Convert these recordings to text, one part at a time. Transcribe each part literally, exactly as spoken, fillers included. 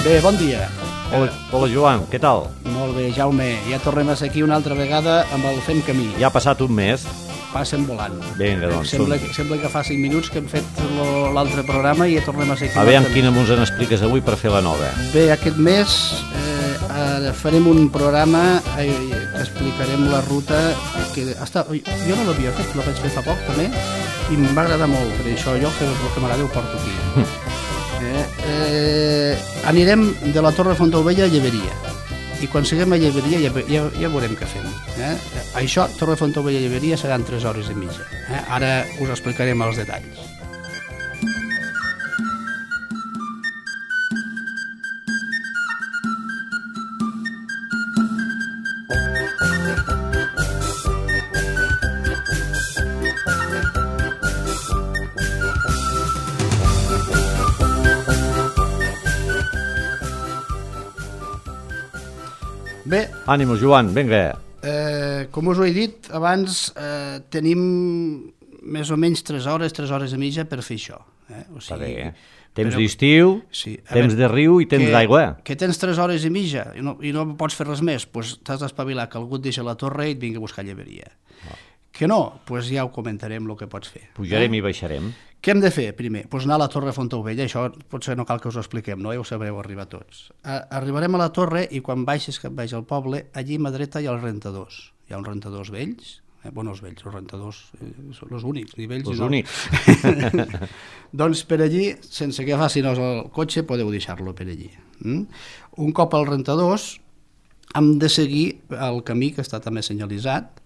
Bé, bon dia. Hola, hola Joan, què tal? Molt bé, Jaume. Ja tornem a ser aquí una altra vegada amb el Fem Camí. Ja ha passat un mes. Passen volant. Vinga, doncs. Sembla, som... sembla que fa cinc minuts que hem fet l'altre programa i ja tornem a ser aquí. A veure quina mos en expliques avui per fer la nova. Bé, aquest mes eh, farem un programa eh, que explicarem la ruta que està... Jo no l'havia fet, la vaig fer fa poc també i em va agradar molt, per això jo que el que m'agrada ho porto aquí. Eh, eh, anirem de la Torre Fontaubella a Lleberia i quan siguem a Lleberia ja, ja, ja veurem què fem. Eh? Això, Torre Fontaubella a Lleberia seran tres hores i mitja. Eh? Ara us explicarem els detalls. Bé, ànimos, Joan, vinga. Eh, com us ho he dit abans, eh, tenim més o menys tres hores, tres hores i mitja per fer això. Eh? O sigui, Està bé, eh? Temps però... d'estiu, sí, temps de riu i temps d'aigua. Que tens tres hores i mitja i no, i no pots fer res més, doncs t'has d'espavilar que algú et deixa la torre i et vingui a buscar Lleberia. Oh. Que no, doncs ja ho comentarem el que pots fer. Pujarem eh? i baixarem. Què hem de fer primer? Doncs anar a la Torre Fontaubella, això potser no cal que us ho expliquem, no? Ja ho sabreu arribar tots. Arribarem a la torre i quan baixes cap baix al poble, allí a mà dreta hi ha els rentadors. Hi ha uns rentadors vells, eh? Bueno, els vells, els rentadors eh, són els únics, ni vells Els no. únics. Doncs per allí, sense que facin el cotxe, podeu deixar-lo per allí. Mm? Un cop als rentadors, hem de seguir el camí que està també senyalitzat,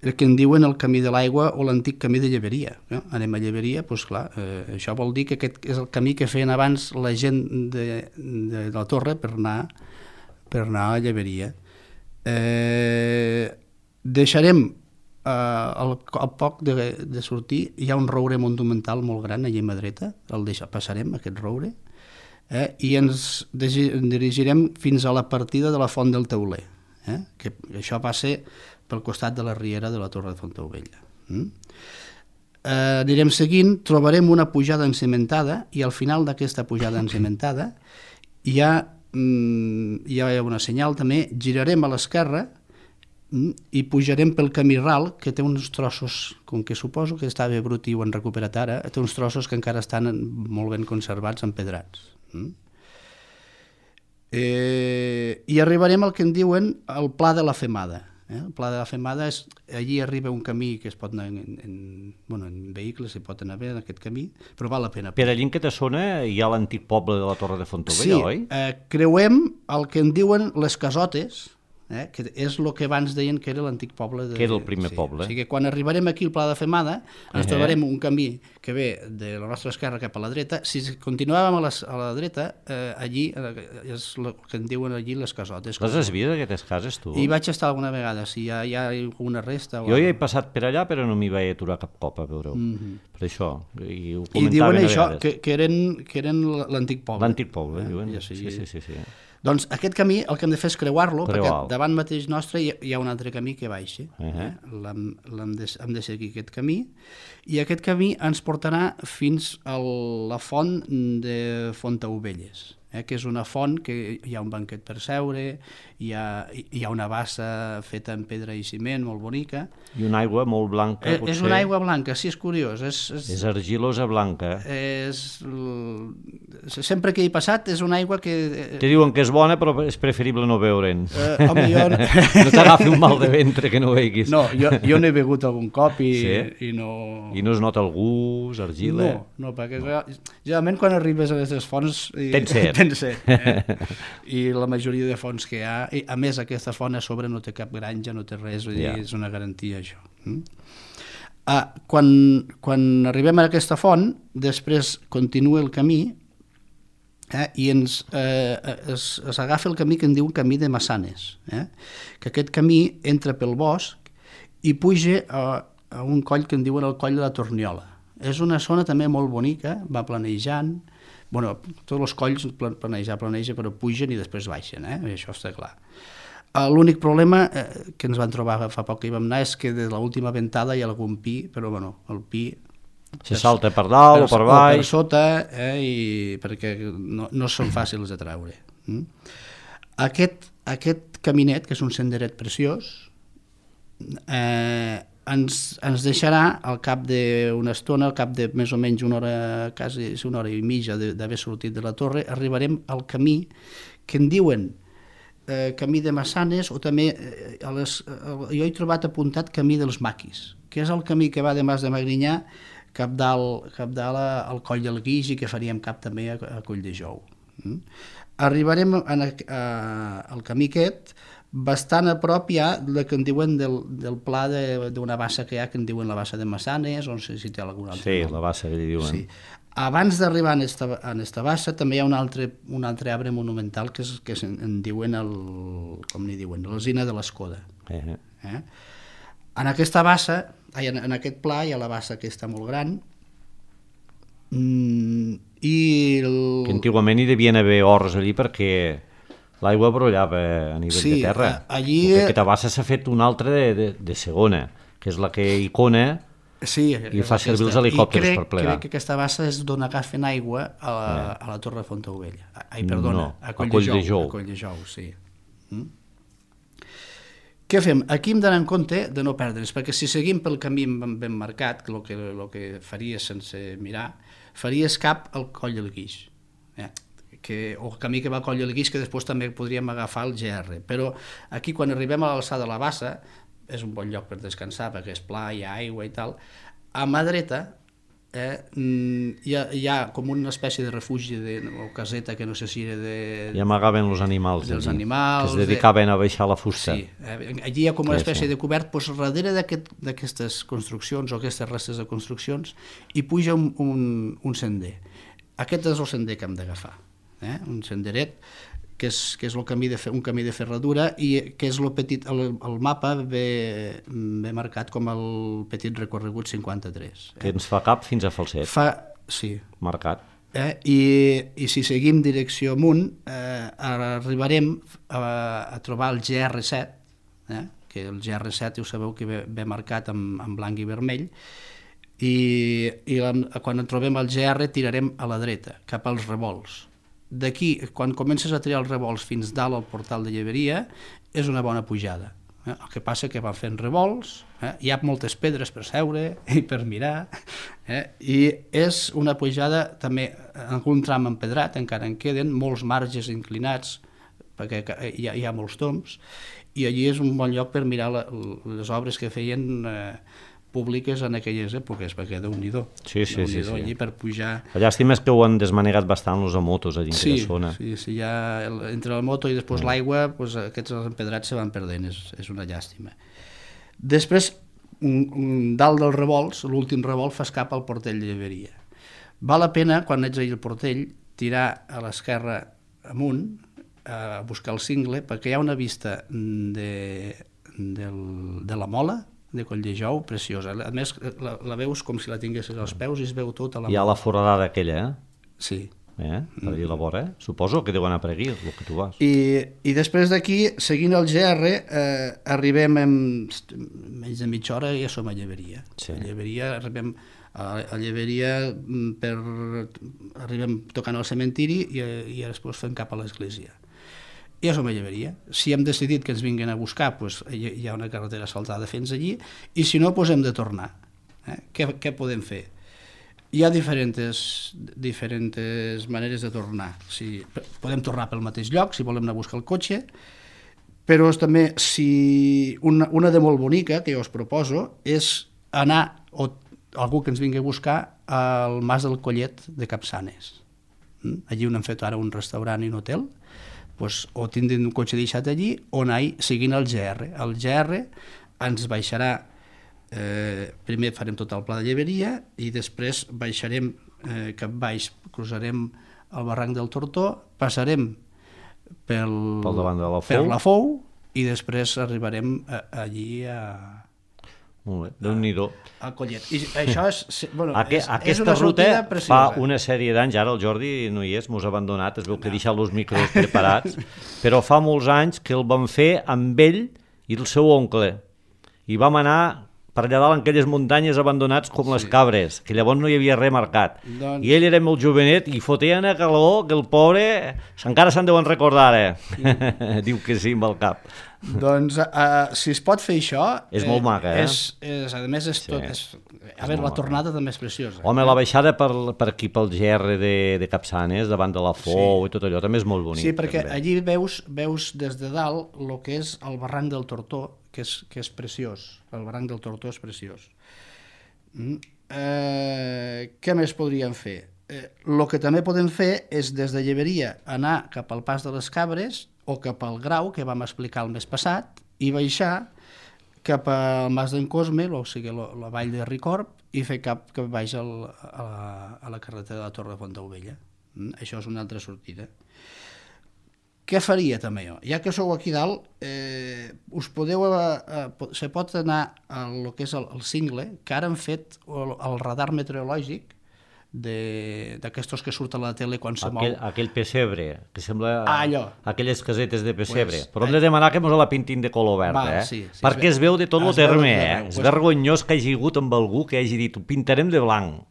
el que en diuen el camí de l'aigua o l'antic camí de Lleberia. Eh? Anem a Lleberia, doncs clar, eh, això vol dir que aquest és el camí que feien abans la gent de, de la torre per anar, per anar a Lleberia. Eh, deixarem, eh, al, al poc de, de sortir, hi ha un roure monumental molt gran allà a mà dreta, el deixa, passarem aquest roure, eh? I ens dirigirem fins a la partida de la Font del Teuler, eh? Que això va ser pel costat de la riera de la Torre de Fontaubella. Mm? Eh, anirem seguint, trobarem una pujada encimentada i al final d'aquesta pujada encimentada hi ha, mm, hi ha una senyal també, girarem a l'esquerra mm, i pujarem pel camí ral que té uns trossos, com que suposo que estava brut i ho han recuperat ara, té uns trossos que encara estan molt ben conservats, empedrats. Mm? Eh, i arribarem al que en diuen el Pla de la Femada. Eh? El Pla de la Femada és, allí arriba un camí que es pot anar en, en, bueno, en vehicles, se pot anar bé en aquest camí, però val la pena. Per allí en aquesta zona hi ha l'antic poble de la Torre de Fontaubella, sí, oi? Sí, eh, creuem el que en diuen les casotes, eh? Que és el que abans deien que era l'antic poble. De, que era el primer sí. poble. O sigui que quan arribarem aquí al Pla de Femada ens uh -huh. trobarem un camí que ve de la nostra esquerra cap a la dreta. Si continuàvem a la, a la dreta, eh, allí eh, és el que en diuen allí les casotes. Les has vist, aquestes cases, tu? I vaig estar alguna vegada, si hi ha, hi ha alguna resta. O jo ja he passat per allà, però no m'hi vaig aturar cap cop a veure-ho. Mm -hmm. Per això, i ho I comentaven diuen a això, vegades. que, que eren, que eren l'antic poble. L'antic poble, eh? diuen. Ja, sí, sí, sí, sí, sí. Doncs aquest camí el que hem de fer és creuar-lo, Creuar. perquè davant mateix nostre hi ha, hi ha un altre camí que baixa. Uh -huh. eh? L'hem, l'hem de, hem de seguir aquest camí, i aquest camí ens portarà fins a la font de Fontaubelles, eh? Que és una font que hi ha un banquet per seure, hi ha, hi ha una bassa feta en pedra i ciment molt bonica. I una aigua molt blanca, eh, potser. És una aigua blanca, sí, és curiós. És, és, és argilosa blanca. És, sempre que hi he passat és una aigua que... Te diuen que és bona, però és preferible no beure'n. Eh, home, jo... no t'agafi un mal de ventre que no veiguis. No, jo, jo n'he begut algun cop i, sí? i no... I no es nota el gust, argila? No, no, perquè no. Generalment quan arribes a aquestes fonts... Tens set. Tens set, eh? I la majoria de fonts que hi ha... I, a més, aquesta font a sobre no té cap granja, no té res, vull dir, yeah. És una garantia, això. Mm? Ah, quan, quan arribem a aquesta font, després continua el camí, eh, i ens eh, es, es agafa el camí que en diu camí de Massanes, eh? Que aquest camí entra pel bosc i puja a, a un coll que en diuen el coll de la Torniola. És una zona també molt bonica, va planejant, bueno, tots els colls planejar, planeja, però pugen i després baixen, eh? Això està clar. L'únic problema eh, que ens van trobar fa poc que hi vam anar és que de l'última ventada hi ha algun pi, però bueno, el pi se salta per dalt o per baix, o per sota, eh, i perquè no, no són fàcils de treure. Mm? Aquest, aquest caminet, que és un senderet preciós, eh, ens, ens deixarà al cap d'una estona, al cap de més o menys una hora, quasi una hora i mitja d'haver sortit de la torre, arribarem al camí que en diuen eh, camí de Massanes, o també eh, a les, eh, jo he trobat apuntat camí dels Maquis, que és el camí que va de Mas de Magrinyà cap dalt, cap dalt al Coll del Guix i que faríem cap també a, a Coll de Jou. Mm? Arribarem a, a, al camí aquest bastant a prop ja del que en diuen del, del pla d'una bassa que hi ha, que en diuen la bassa de Massanes, o no sé si té algun altre sí, nom. la bassa que li diuen. Sí. Abans d'arribar a esta, a esta bassa també hi ha un altre, un altre arbre monumental que, és, que en, en diuen, el, com n'hi diuen, l'Alzina de l'Escoda. Eh. Eh? En aquesta bassa, en, en aquest pla hi ha la bassa que està molt gran, mm, i el... que antigament hi devien haver horts allí perquè l'aigua brollava a nivell sí, de terra. Allí... Aquesta bassa s'ha fet una altra de, de, de segona, que és la que Icona sí, i fa servir els helicòpters crec, per plegar. I crec que aquesta bassa és d'on agafen aigua a la, yeah. a la Torre de Fontaubella. Ai, perdona, no, a Coll, a Coll de, Jou, de Jou. A Coll de Jou, sí. Mm? Què fem? Aquí hem d'anar en compte de no perdre's, perquè si seguim pel camí ben, ben marcat, el que, lo que faries sense mirar, faries cap al Coll del Guix. Eh? Que, o el camí que va al Coll del Guix, que després també podríem agafar el G R. Però aquí, quan arribem a l'alçada de la bassa, és un bon lloc per descansar, perquè és pla, hi ha aigua i tal. A mà dreta eh, hi, ha, hi ha com una espècie de refugi de, o caseta, que no sé si era de... I amagaven els animals, dels allí, animals, que es dedicaven de... a baixar la fusta. Sí, eh, allí hi ha com una espècie sí, sí. de cobert, doncs darrere d'aquestes construccions o aquestes restes de construccions hi puja un, un, un sender. Aquest és el sender que hem d'agafar. Eh? Un senderet que és, que és el camí de, un camí de ferradura i que és el, petit, el, el mapa ve, ve marcat com el petit recorregut cinquanta-tres. Eh? Que ens fa cap fins a Falset. Fa, sí. Marcat. Eh? I, I si seguim direcció amunt, eh, arribarem a, a trobar el G R set, eh? Que el G R set, ja ho sabeu que ve, ve marcat amb, amb blanc i vermell, i, i la, quan en trobem el G R tirarem a la dreta, cap als revolts. D'aquí, quan comences a triar els revolts fins dalt al portal de Lleberia, és una bona pujada. Eh? El que passa que van fent revolts, eh? Hi ha moltes pedres per seure i per mirar, eh? I és una pujada també en algun tram empedrat, encara en queden molts marges inclinats, perquè hi ha, hi ha molts tombs, i allí és un bon lloc per mirar la, les obres que feien eh, públiques en aquelles èpoques, perquè Déu-n'hi-do. Sí, sí, sí, sí. Allí per pujar... La llàstima és que ho han desmanegat bastant els motos allí en sí, aquella zona. Sí, sí, ja el, entre la moto i després mm. l'aigua, pues, aquests empedrats se van perdent, és, és una llàstima. Després, un, un, dalt dels revolts, l'últim revolt fa cap al portell de Lleberia. Val la pena, quan ets allà al portell, tirar a l'esquerra amunt, a buscar el cingle, perquè hi ha una vista de, del, de la Mola, de Coll de Jou, preciosa. A més, la, la veus com si la tinguessis als peus i es veu tota la... Hi ha la foradada aquella, eh? Sí. Eh? Per allà a la vora, eh? Suposo que deuen anar per aquí, el que tu vas. I, i després d'aquí, seguint el G R, eh, arribem en menys de mitja hora i ja som a Lleberia. Sí. A Lleberia arribem a, a Lleberia per... arribem tocant al cementiri i, i després fem cap a l'església. I ja som a Lleberia. Si hem decidit que ens vinguin a buscar, doncs hi ha una carretera asfaltada fins allí, i si no, doncs hem de tornar. Eh? Què, què podem fer? Hi ha diferents, diferents maneres de tornar. Si, podem tornar pel mateix lloc, si volem anar a buscar el cotxe, però també, si una, una de molt bonica, que jo us proposo, és anar, o algú que ens vingui a buscar, al Mas del Collet de Capçanes. Allí on hem fet ara un restaurant i un hotel, pues, o tindrem un cotxe deixat allí o anar seguint el G R. El G R ens baixarà, eh, primer farem tot el pla de Lleberia i després baixarem eh, cap baix, cruzarem el barranc del Tortó, passarem pel, pel davant de la Fou. per la Fou i després arribarem a, allí a... Molt bé, Déu-n'hi-do. Al Collet. I això és, bueno, Aqu és, aquesta és una ruta preciosa. fa una sèrie d'anys, ara el Jordi no hi és, mos ha abandonat, es veu que ha deixat els micros preparats, però fa molts anys que el vam fer amb ell i el seu oncle. I vam anar per allà dalt en aquelles muntanyes abandonats com les Sí. cabres, que llavors no hi havia res marcat. Doncs- I ell era molt jovenet i fotia una calor que el pobre encara se'n deuen recordar, eh? Diu que sí amb el cap. Doncs, uh, si es pot fer això... És molt maca, eh? És, és, a més, és tot... És, a veure, molt la maca. tornada també és preciosa. Home, la baixada per, per aquí, pel Gerri de, de Capçanes, davant de la Fou Sí. i tot allò, també és molt bonic. Sí, perquè també. allí veus, veus des de dalt el que és el barranc del Tortó, que és, que és preciós. El barranc del Tortó és preciós. Mm. Eh, què més podríem fer? El eh, que també podem fer és des de Lleberia anar cap al Pas de les Cabres o cap al Grau, que vam explicar el mes passat, i baixar cap al Mas d'en Cosme, o sigui, la, la vall de Ricorb, i fer cap cap baix al, a, la, a la carretera de la Torre de Fontaubella. Mm? Això és una altra sortida. Què faria també jo? Ja que sou aquí dalt, eh, us podeu, eh, se pot anar a lo que és el, el cingle, que ara han fet el, el radar meteorològic d'aquestos que surten a la tele quan se Aquell, mou. aquell pessebre, que sembla Ah, allò. aquelles casetes de pessebre. Pues, Però hem de demanar que mos la pintin de color verd, Val, eh? sí, sí, Perquè es es veu de tot el es veu de terme, tot eh? arreu. És Pues- vergonyós que hagi hagut amb algú que hagi dit ho pintarem de blanc.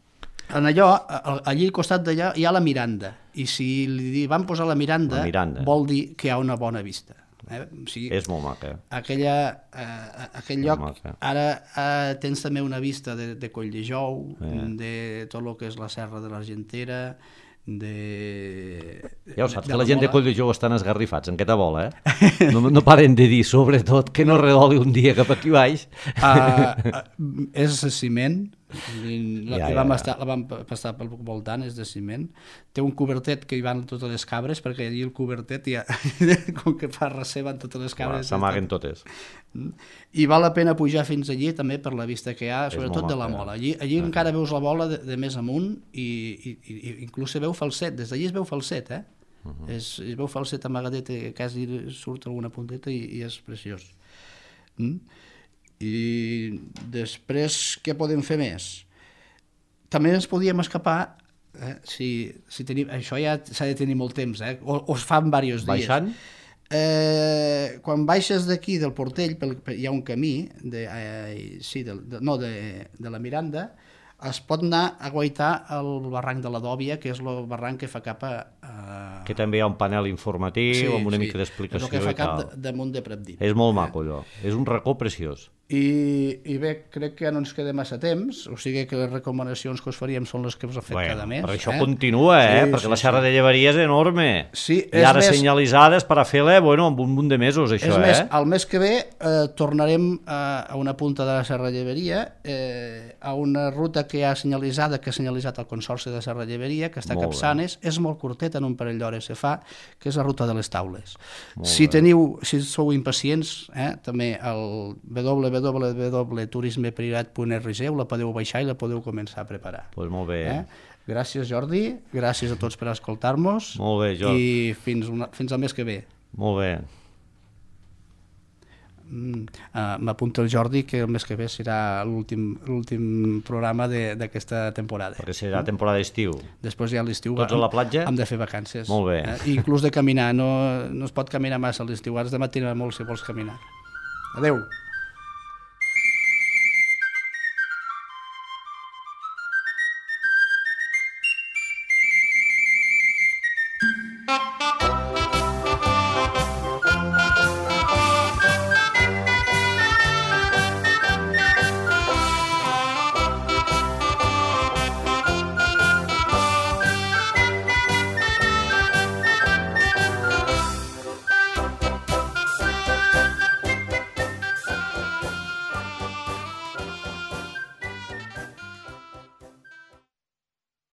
En allò, a- allí al costat d'allà hi ha la Miranda, i si li van posar la Miranda, La Miranda. vol dir que hi ha una bona vista. Eh? O sigui, És molt maca. aquella, eh, aquell Molt lloc, maca. ara eh, tens també una vista de, de Colldejou, Eh. de tot el que és la Serra de l'Argentera, de... Ja ho saps, de que la gent de Mola. Colldejou estan esgarrifats, en què te vol, eh? No, no paren de dir, sobretot, que no redoli un dia cap aquí baix. Uh, uh, és de ciment, i la, Ja, ja, ja, vam ja. estar, la vam passar pel voltant, és de ciment. Té un cobertet que hi van totes les cabres, perquè allí el cobertet ja, com que fa recer van totes les Clar, cabres. s'amaguen totes. I val la pena pujar fins allí també per la vista que hi ha, És sobretot molt de la maca, eh? Mola. Allí, allí Ah, encara veus la bola de, de més amunt i, i, i inclús se veu falset, des d'allí es veu falset, eh? Uh -huh. es, es veu falset amagadet, eh, quasi surt alguna punteta i, i és preciós. Mm? I després, què podem fer més? També ens podíem escapar, eh? si, si tenim, això ja s'ha de tenir molt temps, eh? o, o es fa en diversos dies. Baixant? Eh, quan baixes d'aquí del Portell, pel, per, hi ha un camí, de, eh, sí, de, de, no, de, de la Miranda, es pot anar a guaitar el barranc de la Dòbia, que és el barranc que fa cap a... a... Que també hi ha un panel informatiu amb una mica d'explicació és el que fa i cap tal. de, damunt de Pratdip. És molt maco, allò. És un racó preciós. I, I bé, crec que no ens queda massa temps, o sigui que les recomanacions que us faríem són les que us ha fet Bueno, cada mes. però això eh? continua, eh? Sí, perquè sí, la Serra sí. de Llevaria és enorme. Sí, I és ara més- senyalitzades per a fer-la, bueno, amb un munt de mesos, això, És més, eh? el mes que ve eh, tornarem a, a una punta de la Serra Lleveria, eh, a una ruta que hi ha senyalitzada, que ha senyalitzat el Consorci de Serra Lleveria, que està a Molt Capçanes, és molt curtet, en un parell d'hores se fa, que és la ruta de les taules. Molt Si bé. teniu, si sou impacients, eh, també el w w w punt turisme privat punt r g la podeu baixar i la podeu començar a preparar. Doncs pues molt bé. Eh? Gràcies, Jordi, gràcies a tots per escoltar-nos Molt bé, Jordi. i fins, una, fins al mes que ve. Molt bé. Mm, uh, m'apunta el Jordi que el mes que ve serà l'últim l'últim programa de- d'aquesta temporada. Perquè serà temporada d'estiu. Després ja a l'estiu Tots a hem- la platja? hem de fer vacances. Molt bé. Eh? I inclús de caminar, no, no es pot caminar massa a l'estiu, has de matinar molt si vols caminar. Adeu.